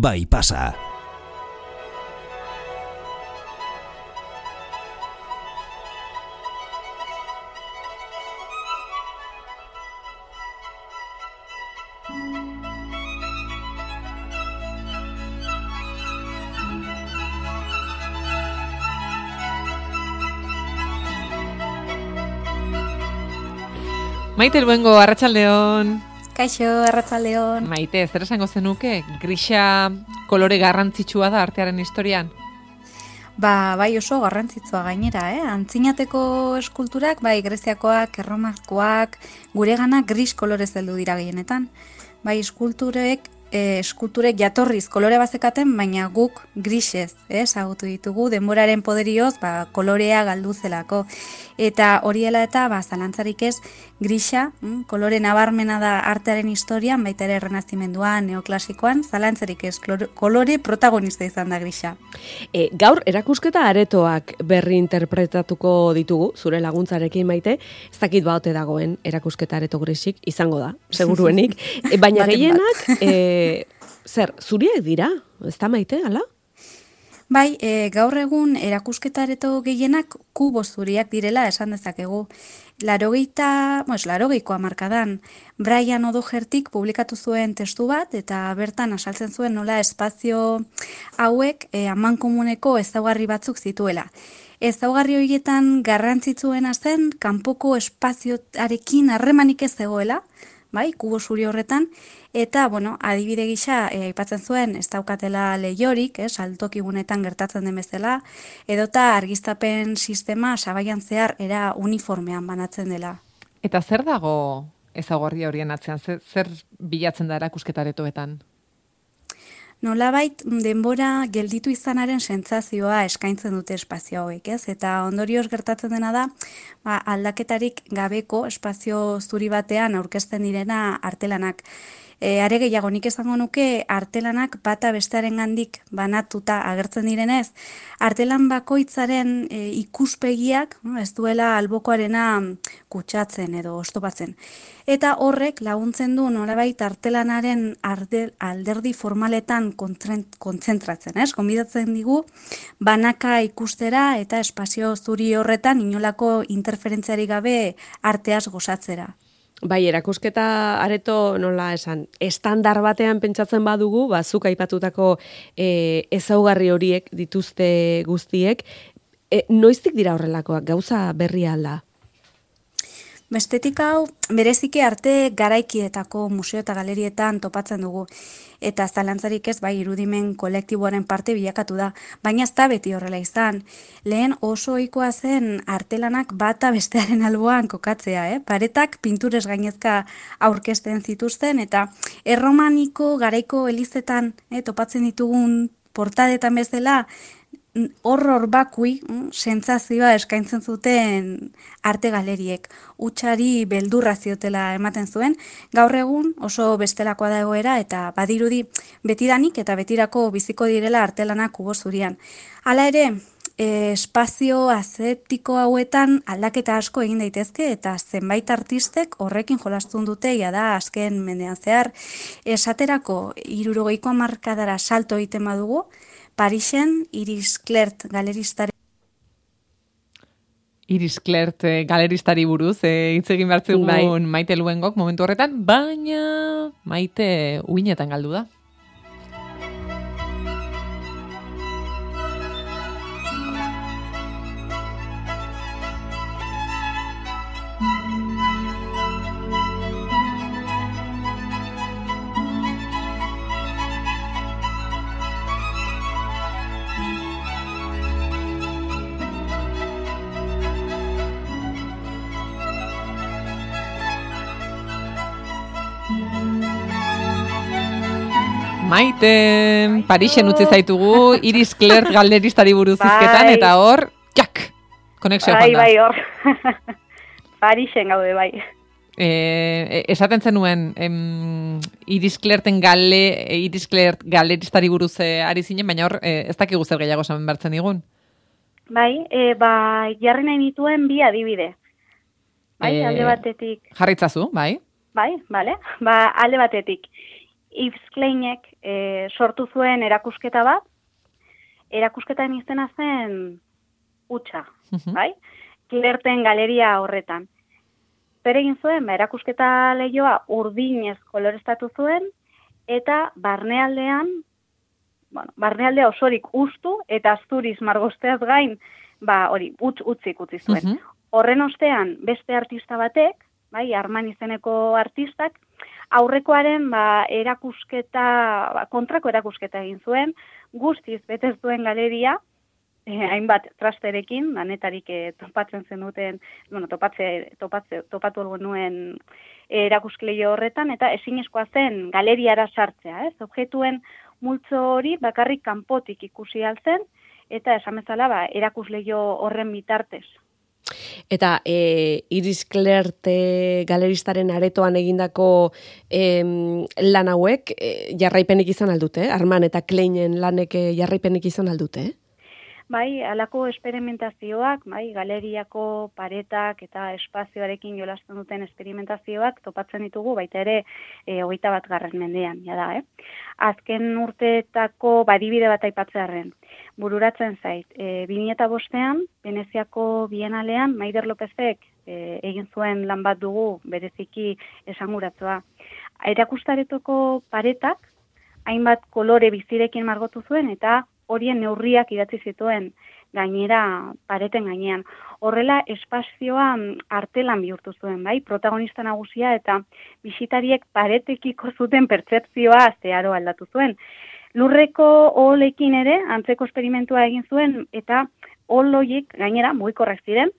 bai pasa. Maite Luengo, arratsaldeon. Kaixo, arratsaldeon. Maite, zer esango zenuke? Grisa kolore garrantzitsua da artearen historian? Bai oso garrantzitsua gainera, Antzinateko eskulturak, bai Greziakoak, Erromakoak, guregana gris kolorez heldu dira gehienetan. Bai eskulturek jatorriz kolore bazekaten, baina guk grisez, ezagutu ditugu denboraren poderioz, kolorea galdu zelako. Eta hori dela eta zalantzarik ez, grisa, kolore nabarmena da artearen historian, baita ere Errenazimenduan, neoklasikoan, zalantzarik ez, kolore protagonista izan da grisa. Gaur erakusketa aretoak berri interpretatuko ditugu, zure laguntzarekin, Maite, ez dakit baote dagoen erakusketa areto grisik, izango da, seguruenik, baina gehienak, zer, zuriek dira, ez da, Maite, ala? Bai, gaur egun erakusketa areto gehienak kubo zuriak direla esan dezakegu. Larogeiko hamarkadan Brian O'Dohertyk publikatu zuen testu bat, eta bertan azaltzen zuen nola espazio hauek amankomuneko ezaugarri batzuk zituela. Ezaugarri horietan garrantzitsuena zen kanpoko espazioarekin harremanik ez zegoela, bai, kubo zuri horretan, eta, adibide gisa, aipatzen zuen, ez daukatela lehiorik, saltokigunetan gertatzen den bezala, edota argiztapen sistema sabaian zehar era uniformean banatzen dela. Eta zer dago ezaugarri horien atzean? Zer bilatzen da erakusketa aretoetan? Nolabait denbora gelditu izanaren sentsazioa eskaintzen dute espazio hauek, eta ondorioz gertatzen dena da, aldaketarik gabeko espazio zuri batean aurkezten direna artelanak. Are gehiago nik esango nuke artelanak bata bestearengandik banatuta agertzen direnez, artelan bakoitzaren ikuspegiak ez duela albokoarena kutsatzen edo oztopatzen. Eta horrek laguntzen du nolabait artelanaren alderdi formaletan kontzentratzen, konbidatzen digu banaka ikustera eta espazio zuri horretan inolako interferentziarik gabe arteaz gozatzera. Bai, erakusketa areto nola esan, estandar batean pentsatzen badugu, zuk aipatutako ezaugarri horiek dituzte guztiek, noiztik dira horrelakoak, gauza berria alda? Bestetik hau, bereziki arte garaikietako museo eta galerietan topatzen dugu. Eta zalantzarik ez, irudimen kolektiboaren parte bilakatu da. Baina ez da beti horrela izan. Lehen oso ohikoa zen artelanak bata bestearen alboan kokatzea. Paretak pinturez gainezka aurkezten zituzten, eta erromaniko garaiko elizetan topatzen ditugun portadetan bezala, horror bakui, sentsazioa eskaintzen zuten arte galeriek. Hutsari beldurra ziotela ematen zuen, gaur egun oso bestelakoa da egoera eta badirudi betidanik eta betirako biziko direla artelanak kubo zurian. Hala ere, espazio aseptiko hauetan aldaketa asko egin daitezke eta zenbait artistek horrekin jolastun dute da azken mendean zehar. Esaterako 60ko hamarkadara salto egiten badugu, Parisen Iris Clert galeristari buruz hitz egin behar zegoen Maite Luengok momentu horretan, baina Maite uinetan galdu da. Maite, Parisen utzi zaitugu, Iris Clert galeristari buruz hizketan, eta hor, konexioa joan da. Bai, hor. Parisen gaude, bai. Esaten zenuen, Iris Clert galeristari buruz ari zinen, baina hor, ez dakigu zer gehiago esan bertzen digun. Bai, jarri nahi nituen bi adibide. Bai, alde batetik. Jarritzazu, bai? Bai, bale. Alde batetik. Yves Kleinek sortu zuen erakusketa bat, erakusketaren izena zen Hutsa, bai? Klerten galeria horretan. Zer egin zuen, erakusketa lehioa urdinez koloreztatu zuen, eta barnealdea osorik ustu eta asturiz margosteaz gain, utzik utzi zuen. Horren ostean, beste artista batek, bai, Arman izeneko artistak, aurrekoaren erakusketa, kontrako erakusketa egin zuen, guztiz betez duen galeria, hainbat trasterekin, danetarik topatzen zenuten, topatu nuen erakuskleio horretan, eta ezinezkoa zen galeriara sartzea, ez? Objektuen multzo hori bakarrik kanpotik ikusi altzen, eta esan bezala erakusleio horren bitartez. Eta Iris Klert galeristaren aretoan egindako lan hauek jarraipenik izan aldute, Arman eta Kleinen lanek jarraipenik izan aldute? Bai, halako esperimentazioak, galeriako paretak eta espazioarekin jolasten duten esperimentazioak topatzen ditugu, baita ere 21. mendean, jada, Azken urteetako adibide bat aipatzearren. Bururatzen zait, 2005ean, Veneziako Bienalean, Maider Lopezek egin zuen lan bat dugu, bereziki esanguratzua. Erakustaretoko paretak, hainbat kolore bizirekin margotu zuen, eta horien neurriak idatzi zituen gainera pareten gainean. Horrela espazioa artelan bihurtu zuen, bai, protagonista nagusia eta bisitariek paretekiko zuten pertzepzioa zeharo aldatu zuen. Lurreko oholekin ere antzeko esperimentua egin zuen eta oholoiek gainera mugikorrak ziren.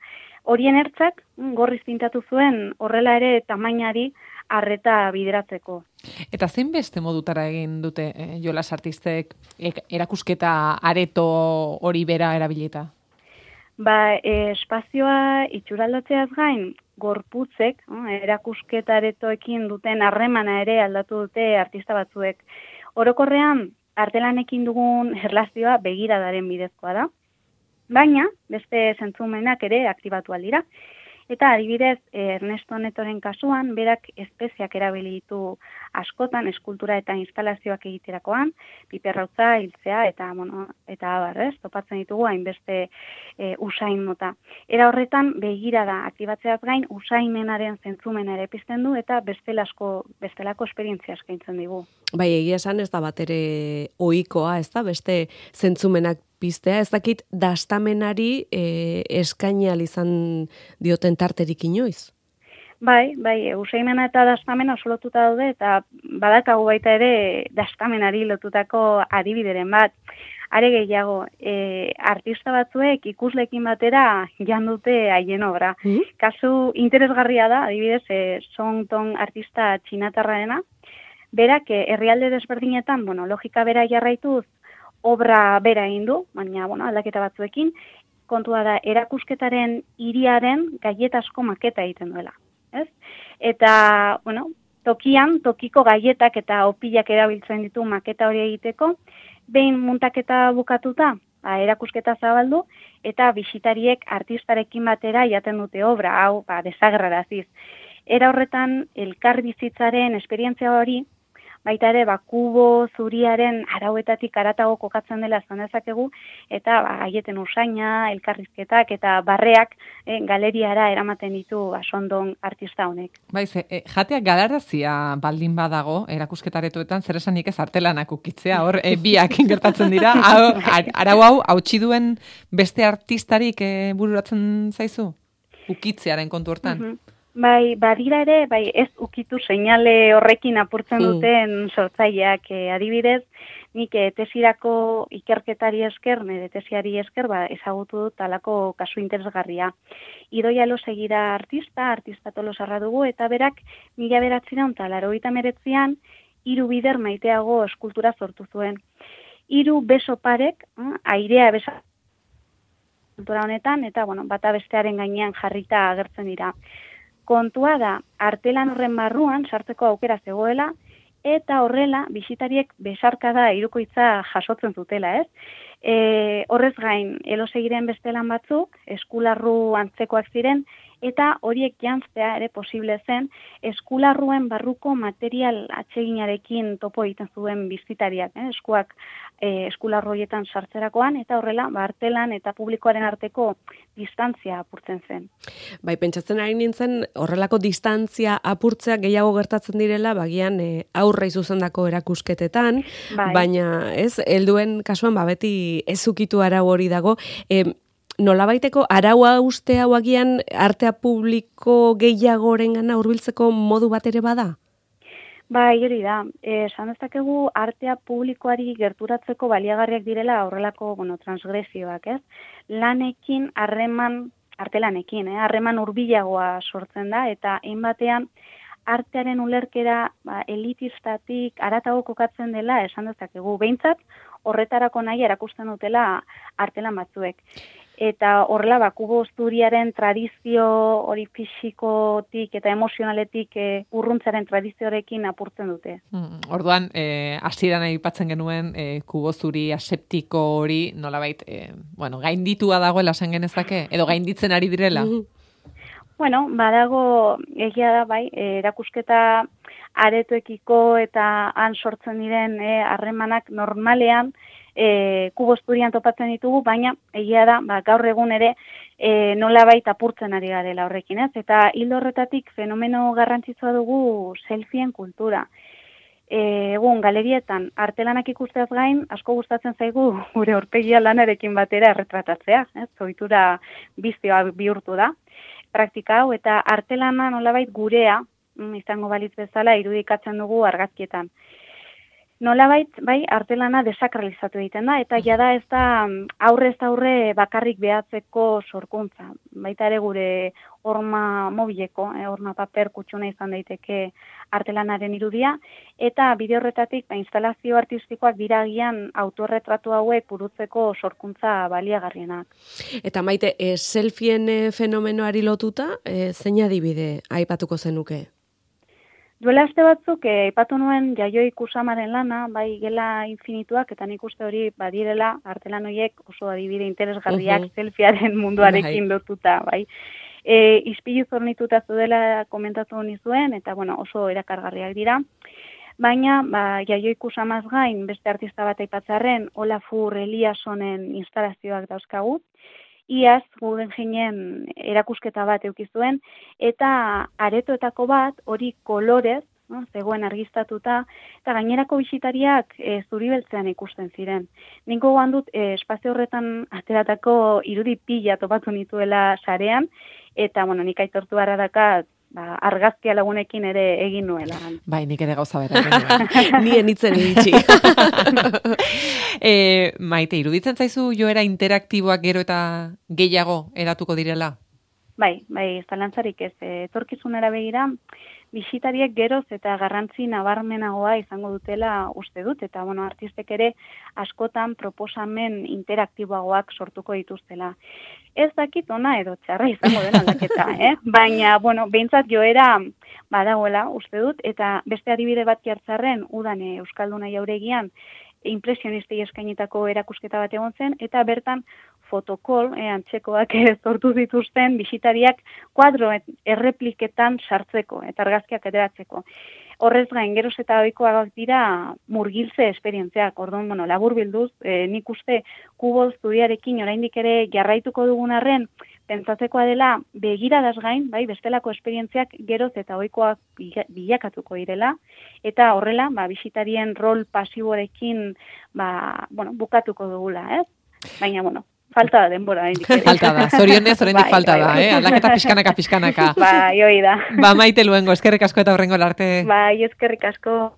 Horien ertzak gorriz pintatu zuen horrela ere tamainari arreta bideratzeko. Eta zein beste modutara egin dute jolas artistek erakusketa areto hori bera erabilita? Espazioa itxuraldatzeaz gain, gorputzek, erakusketa aretoekin duten harremana ere aldatu dute artista batzuek. Orokorrean, artelanekin dugun erlazioa begiradaren bidezkoa da, baina beste zentzumenak ere aktibatu aldira. Eta adibidez, Ernesto Netoren kasuan, berak espeziak erabili ditu askotan, eskultura eta instalazioak egiterakoan, piperrautza, hiltzea, eta abarrez, topatzen ditugu hainbeste usain mota. Era horretan, begirada aktibatzeaz gain, usaimenaren zentzumena ere pizten du, eta bestelako esperientzia eskaintzen digu. Bai, egia esan ez da bat ere ohikoa, ez da, beste zentzumenak piztea, ez dakit dastamenari eskainial izan dioten tarterik inoiz? Bai, usaimena eta dastamena oso lotuta daude, eta badakagu baita ere dastamenari lotutako adibideren bat. Are gehiago, artista batzuek ikuslekin batera jan dute haien obra. Kasu interesgarria da, adibidez, Song Tong artista txinatarraena, berak herrialde desberdinetan, logika bera jarraituz, obra bera egin du, baina aldaketa batzuekin, kontua da erakusketaren hiriaren gaietasko maketa egiten duela. Ez? Eta, tokiko gaietak eta opilak erabiltzen ditu maketa hori egiteko, behin muntaketa bukatuta, erakusketa zabaldu, eta bisitariek artistarekin batera jaten dute obra, hau, desagerraraziz. Era horretan, elkar bizitzaren esperientzia hori, baita ere, kubo zuriaren arauetatik aratago kokatzen dela esan dezakegu, eta gaieten usaina, elkarrizketak eta barreak galeriara eramaten ditu Sondong artista honek. Baiz, jateak galarazia baldin badago, erakusketaretoetan, zer esanik ez artelanak ukitzea, hor biak gertatzen dira, arau hau, hautsi duen beste artistarik bururatzen zaizu? Ukitzearen kontu hortan? Bai, badira ere, ez ukitu seinale horrekin apurtzen duten sortzaileak, adibidez, nik tesirako ikerketari esker, nire tesiari esker, ezagutu dut talako kasu interesgarria. Idoia Losegira artista tolosarra dugu, eta berak 1989an 3 bider maiteago eskultura sortu zuen. 3 beso parek, airea besa eskultura honetan, eta bata bestearen gainean jarrita agertzen dira. Kontua da, artelan horren barruan sartzeko aukera zegoela, eta horrela, bisitariek besarkada hirukoitza jasotzen zutela, ez? Horrez gain, Elosegiren beste lan batzuk, eskularru antzekoak ziren, eta horiek janztea ere posible zen eskularruen barruko material atseginarekin topo egiten zuen bizitariak, eskuak eskularru horietan sartzerakoan, eta horrela artelan eta publikoaren arteko distantzia apurtzen zen. Bai, pentsatzen ari nintzen, horrelako distantzia apurtzea gehiago gertatzen direla, bagian aurrei zuzendako erakusketetan, baina helduen kasuan beti ezukitu arau hori dago. Nolabaiteko araua uste hau agian artea publiko gehiagorengana hurbiltzeko modu bat ere bada? Bai, hori da. Esan dezakegu artea publikoari gerturatzeko baliagarriak direla horrelako, transgresioak, ez? Lanekin, artelanekin, harreman hurbilagoa sortzen da, eta hainbatean artearen ulerkera elitistatik aratago kokatzen dela esan dezakegu. Behintzat, horretarako nahi erakusten dutela artelan batzuek. Eta horrela, kubo zuriaren tradizio hori fisikotik eta emozionaletik urruntzaren tradizioarekin apurtzen dute. Orduan, hasieran aipatzen genuen kubo zuri aseptiko hori nolabait, gainditua dagoela esan genezake, edo gainditzen ari direla? Bueno, badago egia da, bai, erakusketa aretoekiko eta han sortzen diren harremanak normalean kubosturian topatzen ditugu, baina egia da, gaur egun ere nolabait apurtzen ari garela horrekin, ez? Eta hildo horretatik fenomeno garrantzitsua dugu selfien kultura. Egun galerietan artelanak ikusteaz gain, asko gustatzen zaigu gure aurpegia lanarekin batera erretratatzea, ez? Ohitura bizioa bihurtu da praktika hau, eta artelana nolabait gurea izango balitz bezala irudikatzen dugu argazkietan. Nolabait, bai, artelana desakralizatu egiten da, eta jada ez da aurrez aurre bakarrik behatzeko sorkuntza. Baita ere gure horma mobileko, horma paper kutsuna izan daiteke artelanaren irudia, eta bide horretatik instalazio artistikoak diragian autorretratu hauek burutzeko sorkuntza baliagarrienak. Eta Maite, selfien fenomenoari lotuta, zein adibide aipatuko zenuke? Duela aste batzuk, aipatu nuen Jaioi Kusamaren lana, bai gela infinituak, eta nik uste hori badirela artelan horiek oso adibide interesgarriak selfiearen munduarekin lotuta, bai. Ispilu zornituta zudela komentatu nizuen, eta oso erakargarriak dira. Baina, Jaioi Kusamaz gain, beste artista bat aipatzarren, Olafur Eliassonen instalazioak dauzkagu, iaz Guggenheimen erakusketa bat eukizuen, eta aretoetako bat hori kolorez, zegoen argiztatuta, eta gainerako bisitariak zuri-beltzean ikusten ziren. Ninko goan dut espazio horretan ateratako irudi pila topatu nituela sarean, eta nik aitortu barra dakat, argazkia lagunekin ere egin nuela. Bai, nik ere gauza bera egin nuen. Nien itzen iritsi. Maite, iruditzen zaizu joera interaktiboak gero eta gehiago eratuko direla? Bai, zalantzarik ez. Etorkizunera begira, bisitariek geroz eta garrantzi nabarmenagoa izango dutela uste dut, eta artistek ere askotan proposamen interaktiboagoak sortuko dituztela. Ez dakit ona edo txarra izango den aldaketa, baina, behintzat joera badagoela uste dut, eta beste adibide bat jartzarren, udan Euskalduna jauregian, impresionistei eskainitako erakusketa bat egon zen, eta bertan fotokol, antzekoak sortu zituzten bisitariak kuadro errepliketan sartzeko, eta argazkiak ateratzeko. Horrez gain, geroz eta ohikoak dira murgiltze esperientziak, orduan, labur bilduz, nik uste kubo studiarekin oraindik ere jarraituko dugun arren, pentsatzekoa dela begiradaz gain, bai, bestelako esperientziak geroz eta ohikoak bilakatuko direla, eta horrela, bisitarien rol pasiborekin, bukatuko dugula, ez? Baina, falta da denbora, Falta da, zorionez oraindik falta da, aldaketa pixkanaka. Bai, hoi da. Maite Luengo, eskerrik asko eta horrengo arte. Bai, eskerrik asko.